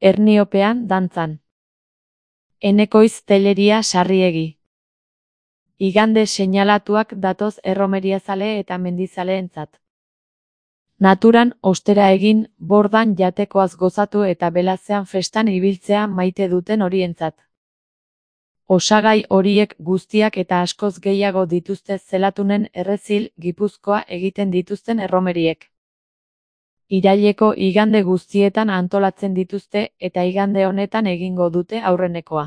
Erniopean dantzan. Enekoiz Telleria Sarriegi. Igande seinalatuak datoz erromeriazale eta mendizaleentzat. Naturan ostera egin, bordan jatekoaz gozatu eta belazean festan ibiltzea maite duten horientzat. Osagai horiek guztiak eta askoz gehiago dituzte Zelatunen Errezil, Gipuzkoa egiten dituzten erromeriek. Iraileko igande guztietan antolatzen dituzte eta igande honetan egingo dute aurrenekoa.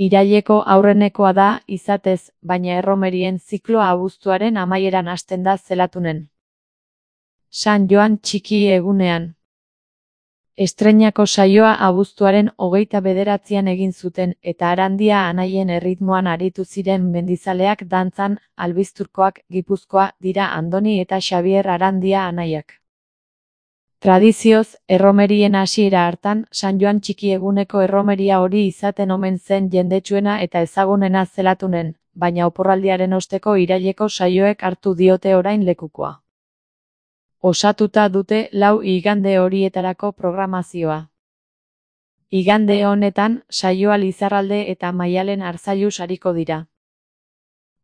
Iraileko aurrenekoa da, izatez, baina erromerien zikloa abuztuaren amaieran hasten da Zelatunen. San Joan txiki egunean. Estreinako saioa abuztuaren 29an egin zuten eta Arandia anaien erritmoan aritu ziren mendizaleak dantzan, albizturkoak Gipuzkoa dira Andoni eta Xabier Arandia anaiak. Tradizioz, erromerien hasiera hartan, San Joan txiki eguneko erromeria hori izaten omen zen jendetsuena eta ezagunena Zelatunen, baina oporraldiaren osteko iraileko saioek hartu diote orain lekukoa. Osatuta dute 4 igande horietarako programazioa. Igande honetan, saioa Lizarralde eta Maialen Arzallus ariko dira.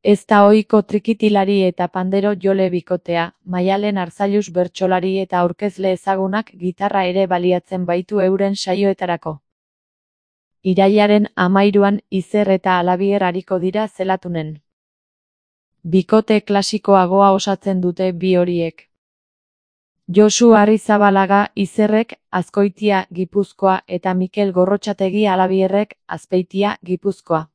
Ez da ohiko trikitilari eta pandero jole bikotea, Maialen Arzallus bertsolari eta aurkezle ezagunak gitarra ere baliatzen baitu euren saioetarako. Irailaren 13an Izer eta Alabier ariko dira Zelatunen. Bikote klasikoagoa osatzen dute bi horiek. Josu Arrizabalaga Izerrek, Azkoitia, Gipuzkoa eta Mikel Gorrotxategi Alabierrek, Azpeitia, Gipuzkoa.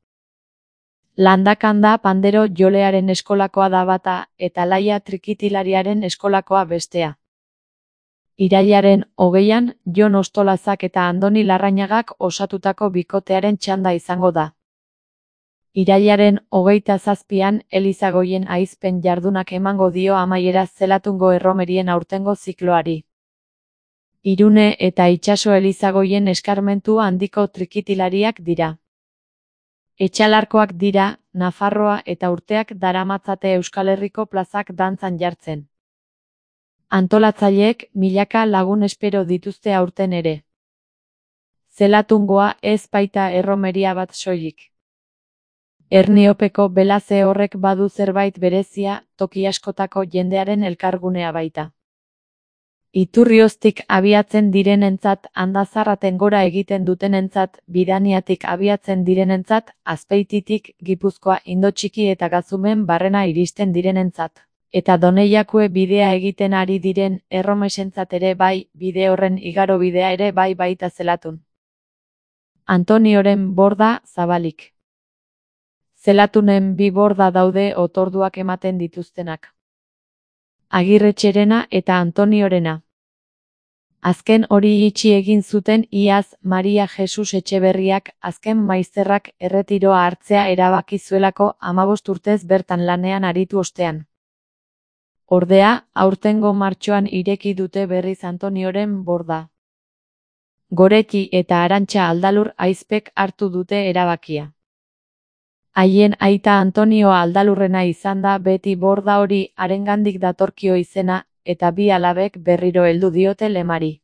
Landakanda pandero jolearen eskolakoa da bata eta Laia trikitilariaren eskolakoa bestea. Irailaren 20an, Jon Ostolazak eta Andoni Larrañagak osatutako bikotearen txanda izango da. Irailaren 27an, Elizagoien aizpen jardunak emango dio amaiera Zelatungo erromerien aurtengo zikloari. Irune eta Itsaso Elizagoien eskarmentu handiko trikitilariak dira. Etxalarkoak dira, Nafarroa eta urteak daramatzate Euskal Herriko plazak dantzan jartzen. Antolatzaileek milaka lagun espero dituzte aurten ere. Zelatungoa ez baita erromeria bat soilik. Erniopeko belaze horrek badu zerbait berezia, toki askotako jendearen elkargunea baita. Iturrioztik abiatzen direnentzat, Andazarraten gora egiten dutenentzat, Bidaniatik abiatzen direnentzat, Azpeititik, Gipuzkoa, Indotxiki eta Gazumen barrena iristen direnentzat. Eta Doneiakue bidea egiten ari diren erromesentzat ere bai, bide horren igarobidea ere bai baita Zelatun. Antonioren borda zabalik. Zelatunen 2 borda daude otorduak ematen dituztenak. Agirretxerena eta Antoniorena. Azken hori itxi egin zuten iaz Maria Jesus Etxeberriak azken maizterrak erretiroa hartzea erabaki zuelako 15 urtez bertan lanean aritu ostean. Ordea, aurtengo martxoan ireki dute berriz Antonioren borda. Goreti eta Arantxa Aldalur aizpek hartu dute erabakia. Haien aita Antonio Aldalurrena izan da beti borda hori harengandik datorkio izena, eta 2 alabek berriro heldu diote lemari.